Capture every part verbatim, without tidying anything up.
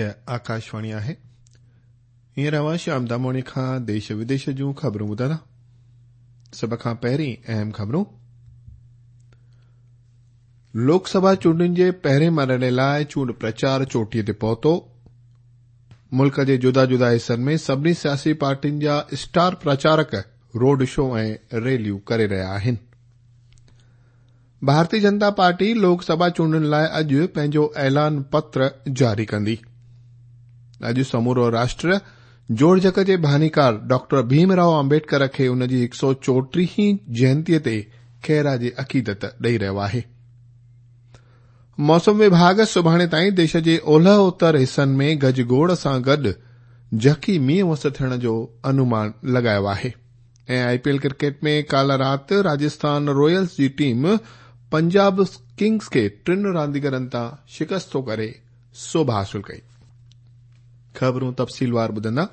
هيء آڪاشواڻي آهي. هينئر اوهان شيام داموڻي کان ديش وديش جون خبرون ٻڌندا. سڀ کان پهرين اهم خبرون. لوڪ سڀا چونڊن جي پهرين مرحلي لاء چونڊ پرچار چوٽيء تي پهتو. ملڪ جي جدا جدا حصن ۾ سڀني سياسي پارٽين جا اسٽار پرچارڪ روڊ شو ۽ ريليون ڪري رهيا آهن. ڀارتي جنتا پارٽي لوڪ سڀا چونڊن لاء اڄ پنهنجو اعلان پتر جاري ڪندي. اڄ سمورو راشٽر جوڙجڪ جي بانيڪار ڊاڪٽر ڀيم رائو آمبيڊڪر کي ان جي هڪ سؤ چوٽيهين جينتيء تي خراج عقيدت ڏئي رهيو آهي. موسم وڀاڳ سڀاڻي تائين ديش جي اولهه اتر حصن ۾ گجگوڙ سان گڏ جهڪي مينهن وس ٿيڻ جو انومان لڳايو آهي. ۽ آء پي ايل ڪرڪيٽ ۾ ڪالهه رات راجسٿان رائلز جي ٽيم پنجاب ڪنگز کي ٽن رانديگرن تان شڪست ڪري سوڀ حاصل ڪئي. خبرون تفصيلوار ٻڌندا.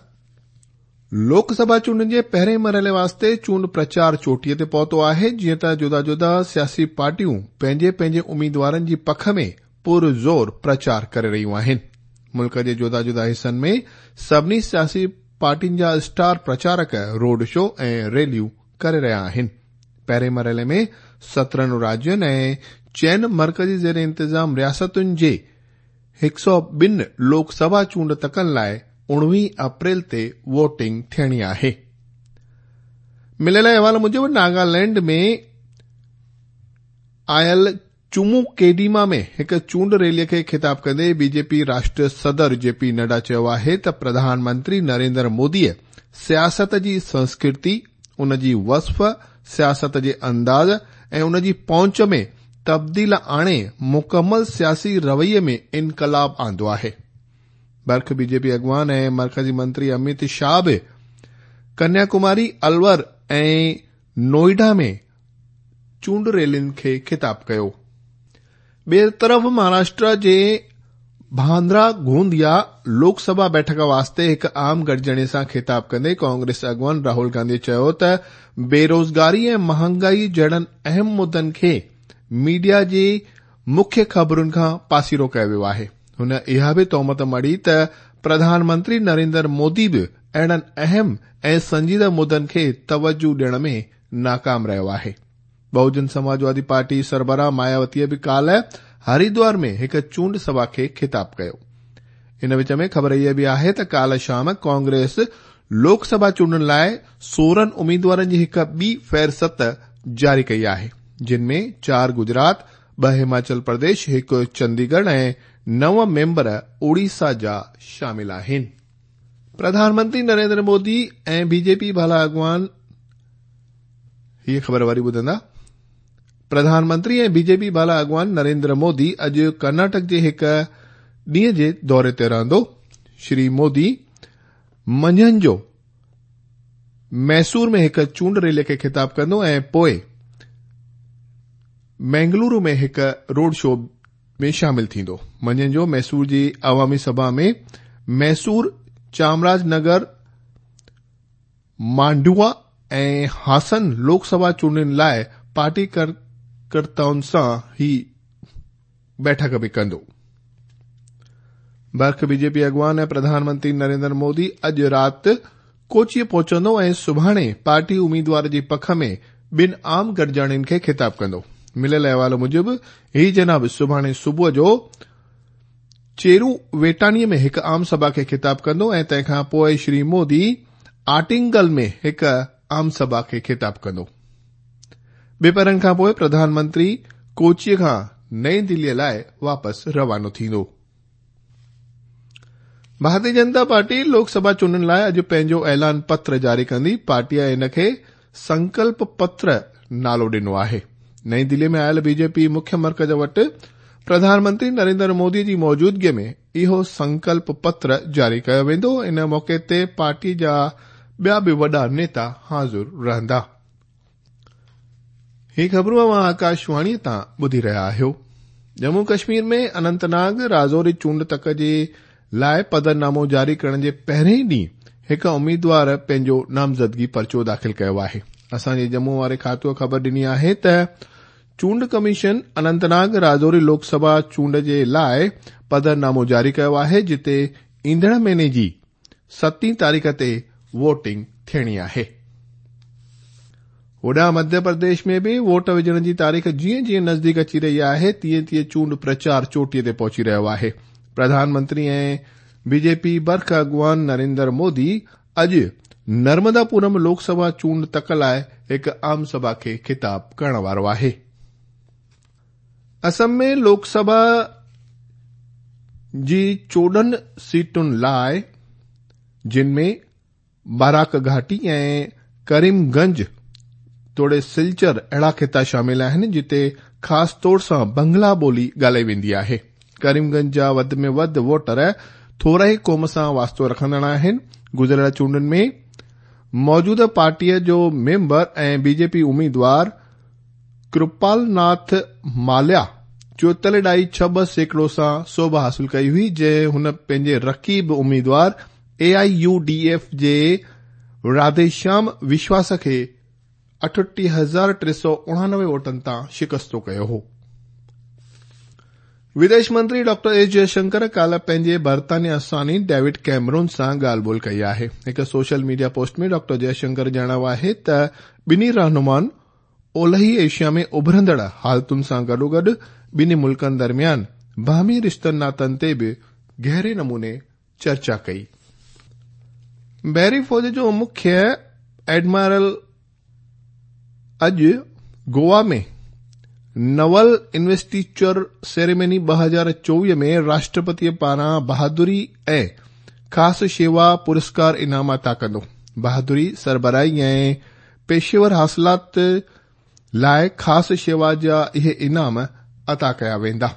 لوڪ سڀا چونڊن جي پهرين مرحلي واسطي چونڊ پرچار چوٽيء تي پهتو آهي، جيئن ته جدا جدا سياسي پارٽيون پنهنجي پنهنجي اميدوارن جي پک ۾ پرزور پرچار ڪري رهيون آهن. ملڪ جي جدا جدا حصن ۾ سڀني سياسي پارٽين جا اسٽار پرچارڪ روڊ شو ۽ ريليون ڪري رهيا آهن. پهرين مرحلي ۾ سترهن راجين ۽ چئن مرڪزي زير انتظام رياستن جي هڪ سؤ ٻن لوڪ سڀا چونڊ تڪن لاء اڻويهه اپريل تي ووٽنگ ٿيڻي آهي. مليل احوال موجب ناگالينڊ ۾ آيل چمو ڪيڊيما ۾ هڪ چونڊ ريلي کي خطاب ڪندي بي جي پي راشٽريه صدر جي پي نڊا چيو آهي ته پرڌان منتري نريندر موديء سياست جي سنسڪرتي، ان جي وصف، سياست جي انداز ۽ ان جي پهچ ۾ تبديل آڻي مڪمل سياسي رويي ۾ انقلاب آندو آهي. برک بي جي پي اڳواڻ ۽ مرڪزي منتري امت شاهه به ڪنيا ڪماري، الور ۽ نوئيڊا ۾ چونڊ ريلين کي خطاب ڪيو. ٻئي طرف مهاراشٽر جي ڀاندرا گونديا لوڪ سڀا بيٺڪ واسطي هڪ عام گڏجاڻي سان خطاب ڪندي ڪانگريس اڳواڻ راهول گانڌي چيو ته بيروزگاري ۽ مهانگائي جهڙن اهم مدن کي ميڊيا جي مکيه خبرن کان پاسيرو ڪيو ويو آهي. هن اها به تهمت مڙهي ته پرڌان منتري نريندر مودي به اهڙن اهم ۽ سنجيده مدن کي توجهه ڏيڻ ۾ ناڪام رهيو آهي. بهوجن سماجوادي پارٽي سربراهه ماياوتيء به ڪالهه هردوار ۾ هڪ چونڊ سڀا کي خطاب ڪيو. ان وچ ۾ خبر اها به آهي ته ڪالهه شام ڪانگريس لوڪ سڀا چونڊن لاء سورهن اميدوارن جي هڪ ٻي فهرست جاري ڪئي آهي، جن ۾ چار گجرات، ٻه هماچل پرديش، هڪ چنديڳڙهه ۽ نو ميمبر اوڙيسا جا شامل آهن. پرڌان منتري نريندر مودي ۽ بي جي پي بالا اڳواڻ هيء خبر وري ٻڌندا. پرڌان منتري ۽ بي جي پي بالا اڳواڻ نريندر مودي اڄ ڪرناٽڪ جي هڪ ڏينهن جي دوري تي رهندو. شري مودي منجهند جو ميسور ۾ هڪ چونڊ ريلي کي خطاب ڪندو ۽ پوء مينگلورو ۾ هڪ روڊ شو ۾ شامل ٿيندو. منجهند جو ميسور جي عوامي سڀا ۾ ميسور، چامراج نگر، مانڊوا ۽ هاسن لوڪ سڀا چونڊن لاء پارٽي ڪاريڪرتائن سان هي بيٺڪ به ڪندو. برک بي جي پي اڳواڻ ۽ پرڌان منتري نريندر مودي اڄ رات ڪوچيء پهچندو ۽ سڀاڻي پارٽي اميدوار جي پک ۾ ٻن عام گڏجاڻين کي خطاب ڪندو. مليل احوال موجب هي جناب سڀاڻي صبح جو چيرو ويٽانيء ۾ هڪ عام سڀا کي خطاب ڪندو ۽ تنهن کان پوء شري مودي آٽنگل ۾ هڪ عام سڀا کي خطاب ڪندو. ٻپهرن کان پوء پرڌان منتري ڪوچيء کان نئين دليء لاء واپس روانو ٿيندو. ڀارتي جنتا پارٽي لوڪ سڀا چونڊن لاء اڄ پنهنجو اعلان پتر جاري ڪندي. پارٽيء ان کي سنڪلپ پتر نالو ڏنو آهي. نئين دليء ۾ آيل بي جي پي مکيه مرڪز وٽ پرڌان منتري نريندر مودي جي موجودگيء ۾ اهو سنڪلپ پتر جاري ڪيو ويندو. ان موقعي تي پارٽي جا ٻيا به وڏا نيتا حاضر رهندا. هي خبرون اوهان آڪاشواڻيء تان ٻڌي رهيا آهيو. ڄمون ڪشمير ۾ اننت ناگ راجوري چونڊ تڪ جي لاء پڌرنامو جاري ڪرڻ جي پهرين ڏينهن هڪ اميدوار پنهنجو نامزدگي پرچو داخل ڪيو آهي. اسان جي ڄمون واري کاتوء خبر ڏني آهي ته चूंड कमीशन अनंतनाग राजौरी लोकसभा चूंड जे लाइ पधरनामो जारी कयो आहे, जिते ईंदड़ महीने जी सतीं तारीख़ ते वोटिंग थियणी आहे। होॾां मध्य प्रदेश में बि वोट विझण जी तारीख़ जीअं जीअं नज़दीक अची रही आहे तीअं तीअं चूंड प्रचार चोटीअ ते पहुची रहियो आहे। प्रधानमंत्री ऐं बीजेपी बर्ख अॻुवान नरेंद्र मोदी अॼु नर्मदापुरम लोकसभा चूंड तक लाइ हिकु आम सभा खे ख़िताब करण वारो आहे। असम में लोकसभा जी चोॾहं सीटुनि लाइ जिन में बाराक घाटी ऐं करीमगंज तोड़े सिलचर अहिड़ा ख़िता शामिल आहिनि जिते ख़ासि तौर सां बंगला ॿोली ॻाल्हाई वेंदी आहे। करीमगंज जा वधि में वधि वोटर थोरा ई क़ौम सां वास्तो रखंदड़ आहिनि। गुज़िरियल चूंडुनि में मौजूदा पार्टीअ जो मेंबर ऐं बीजेपी उम्मीदवार कृपालनाथ माल्या चोएतालीह ॾाई छह ॿ सैकड़ो सां सोभ हासिल कई हुई, जंहिं हुन पंहिंजे रक़ीब उम्मीदवार ए I U D F जे राधेश्याम विश्वास खे अठटीह हज़ार टे सौ उणानवे वोटनि तां शिकस्तो कयो हो। विदेश मंत्री डॉक्टर एस जयशंकर काल्ह पंहिंजे बर्तानिया सानी डेविड कैमरून सां ॻाल्हि ॿोल कई आहे। हिकु social media post में डॉक्टर जयशंकर ॼाणायो आहे त ॿिन्ही रहनुमाउनि ओलही एशिया में उभरंदड़ हालतुनि सां गॾोगॾु ॿिन्ही मुल्कनि दरमियान बाहमी रिश्तनि नातनि ते बि गहरे नमूने चर्चा कई। बहरी फ़ौज जो मुख्य एडमिरल अॼु गोवा में नवल इन्वेस्टिचर सेरेमनी ॿ हज़ार चोवीह में राष्ट्रपतीअ पारां बहादुरी ऐं ख़ासि शेवा पुरस्कार इनाम अता कंदो। बहादुरी, सरबराही ऐं पेशेवर हासिलात लाइ ख़ासि शेवा जा इहे इनाम अता कया वेंदा।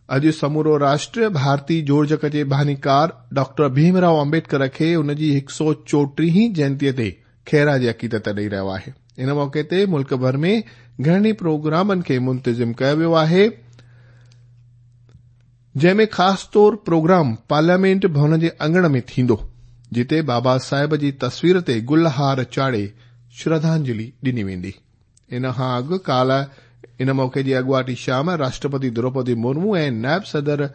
अॼु समूरो राष्ट्र भारतीय जोड़जक जे बानीकार डॉक्टर भीमराव आम्बेडकर खे हुन जी हिकु सौ चोटीहीं जयंतीअ ते ख़ैराज अक़ीदत ॾेई रहियो आहे। इन मौक़े ते मुल्क भर में घणनि प्रोग्रामनि खे मुंतज़िम कयो वियो आहे, जंहिंमें ख़ासि तौर प्रोग्राम पार्लियामेंट भवन जे अंगण में थींदो, जिते बाबा साहिब जी तस्वीर ते गुलहार चाढ़े श्रद्धांजलि ॾिनी वेंदी। इन खां अॻु काल्ह इन मौक़े जी अॻुवाटी शाम राष्ट्रपति द्रौपदी मुर्मू ऐं नायब सदर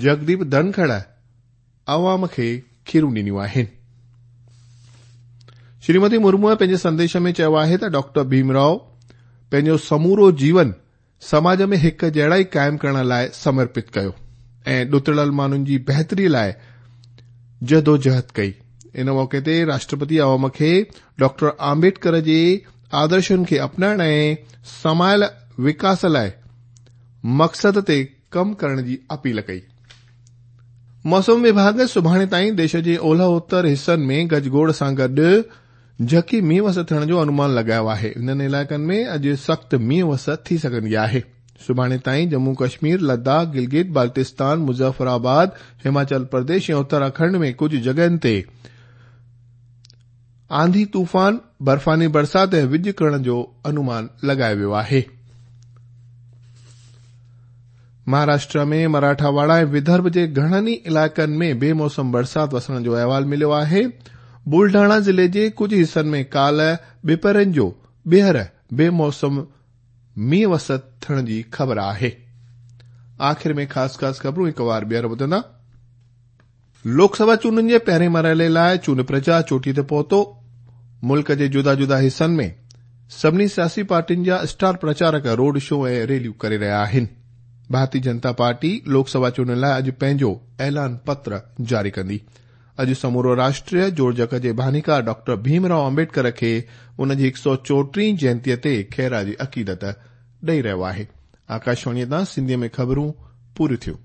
जगदीप धनखड़ अवाम खे खीरूं ॾिनियूं आहिनि। श्रीमती मुर्मूअ पंहिंजे संदेश में चयो आहे त डॉक्टर भीमराव पंहिंजो समूरो जीवन समाज में हिकु जहिड़ाई क़ाइमु करण लाइ समर्पित कयो ऐं ॾुतड़ियल माण्हुनि जी बहितरी लाइ जदोजहद कई। इन मौक़े ते राष्ट्रपति अवाम खे डॉक्टर आम्बेडकर जे आदर्शनि खे अपनाइण ऐं समायल विकास लाइ मक़सद ते कमु करण जी अपील कई। मौसम विभाग सुभाणे ताईं देश जे ओलह उत्तर हिसनि में गजगोड़ सां गॾु झकी मींहुं वस थियण जो अनुमान लॻायो आहे। इन्हनि इलाइक़नि में अॼु सख़्तु मींहुं वस थी सघंदी आहे। सुभाणे ताईं जम्मू कश्मीर, लद्दाख, गिलगित बाल्टिस्तान, मुज़फ़राबाद, हिमाचल प्रदेश ऐं उत्तराखंड में कुझु जॻहियुनि ते आंधी तूफ़ान, बर्फ़ानी बरसात ऐं विज करण जो अनुमान लॻायो वियो आहे। महाराष्ट्र में मराठावाड़ा ऐं विदर्भ जे घणनि ई इलाइक़नि में बेमौसम बरसात वसण जो अहवाल मिलियो आहे। बुलढाणा ज़िले जे कुझु हिसनि में काल्ह ॿिपहरनि जो ॿीहर बेमौसम मींहुं वस थियण जी ख़बर आहे। आख़िर में ख़ासि ख़ासि ख़बरूं हिकु वार ॿीहर ॿुधंदा। लोकसभा चूंडुनि जे पहिरें मरहले लाइ चूंड प्रचार चोटीअ ते पहुतो। मुल्क जे जुदा जुदा हिसनि में सभिनी सियासी पार्टियुनि जा स्टार प्रचारक रोड शो ऐं रैलियूं करे रहिया आहिनि। भारतीय जनता पार्टी लोकसभा चूंडुनि लाइ अॼु पंहिंजो ऐलान पत्र जारी कंदी। अॼु समूरो राष्ट्र जोड़जक जे बानीकार डॉक्टर भीमराव आम्बेडकर खे उन जी हिकु सौ चोटीहीं जयंतीअ ते ख़ैराज अक़ीदत ॾेई रहियो आहे। आकाशवाणीअ तां सिंधीअ में ख़बरूं पूरियूं थियूं।